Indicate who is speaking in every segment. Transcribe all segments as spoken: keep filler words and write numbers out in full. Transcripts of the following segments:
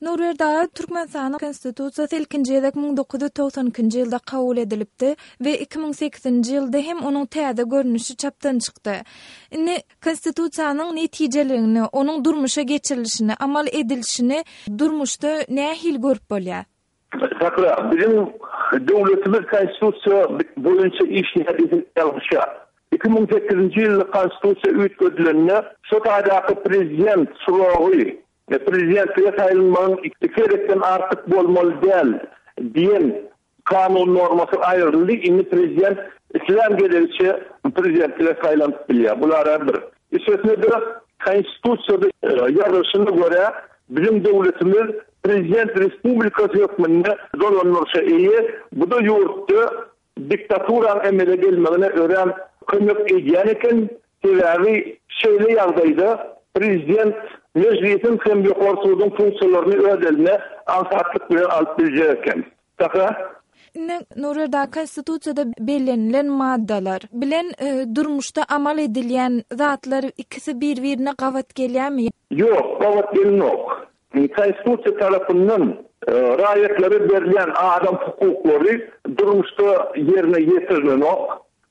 Speaker 1: Nurberdi aga, Türkmenistanyň Konstitusiýasy ilkinji gezek müň dokuz ýüz togsan ikinji ýylda kabul edilipdi we iki müň sekizinji ýylda hem onuň täze görnüşi çapdan çykdy. Indi Konstitusiýanyň netijeligini, onuň durmuşa geçirilişini, amal edilişini durmuşda nähili görüp bolýar?
Speaker 2: Sakra, biziň döwletimiz Konstitusiýa boýunça işleýär diýsek ýalňyşýar. Iki müň sekizinji ýylda Konstitusiýa üýtgedilende, şo taýdaky prezident suragy, prezidentlige saýlanmagyň iki gezekden artyk bolmaly däl diýen kanun normasy aýryldy. Indi prezident islän gezegiçe prezidentlige saýlanyp bilýär. Bular bir. Üstesine-de Konstitusiýada ýazylyşyna görä biziň döwletimiz prezident respublikasy hökmünde dolandyryşa eýe. Bu-da ýurtda diktaturanyň emele gelmegine örän kömek edýän eken. Sebäbi şeýle ýagdaýda prezident mejlisiň hem ýokary suduň funksiýalaryny öz eline aňsatlyk bilen alyp biljek eken. Saka?
Speaker 1: Indi Nurberdi aga, Konstitusiýada bellenilen maddalar bilen, e, durmuşda amal edilýän zatlar ikisi bir-birine gabat gelýärmi?
Speaker 2: Ýok, gabat gelenok. Konstitusiýa tarapyndan, e, raýatlara berilýän adam hukuklary durmuşda ýerine ýetirilenok.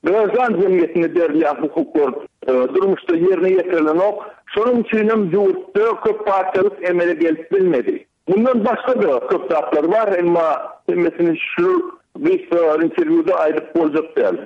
Speaker 2: Graždan jemgyýetine berilýän hukuklar, e, durmuşda ýerine ýetirilenok. Şonuň üçin hem ýurtda köp partiýalyk emele gelip bilmedi. Bundan başga-da köp zatlar bar, emma hemmesini şu gysga interwýuda aýdyp boljak däl.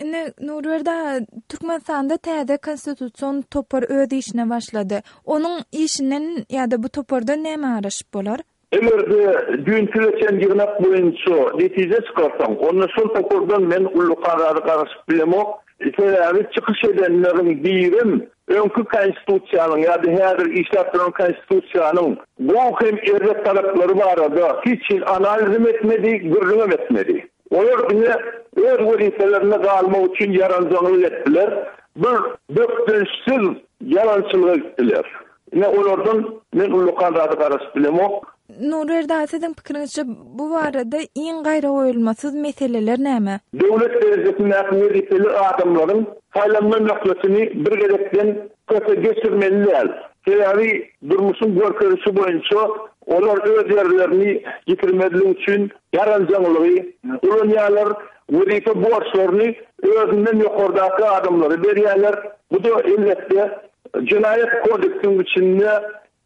Speaker 1: Indi Nurberdi aga, Türkmenistanda täze konstitusion topar öz işine başlady. Onuň işinden ýa-da bu topardan näme garaşyp bolar?
Speaker 2: Eger-de düýnki geçen ýygnak boýunça netije çykarsaň, onda şol topardan men uly karary garaşyp bilemok. Sebäbi çykyş edenleriň birim öňki konstitusiýanyň ýa-da häzir işläp duran konstitusiýanyň bu hem erbet taraplary barada hiç hili analizem etmedi, gürrüňem etmedi. Olar diňe öz wezipelerine galmak üçin ýaranjaňlyk etdiler. Bir bökdençsiz ýalançylyga gitdiler. Ine olardan men uly karary garaşyp bilemok.
Speaker 1: Nurberdi aga, siziň pikiriňizçe bu barada iň gaýra goýulmasyz meseleler näme?
Speaker 2: Döwlet derejesindäki wezipeli adamlaryň saýlanma möhletini bir gezekden köpe geçirmeli däl. Sebäbi durmuşyň görkezişi boýunça olar öz ýerlerini ýitirmezlik üçin ýaranjaňlygy ulanýarlar, wezipe borçlaryny özünden ýokardaky adamlara berýärler. Bu da elbetde jenaýat kodeksiniň içinde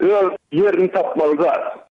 Speaker 2: öz ýerini tapmaly zat.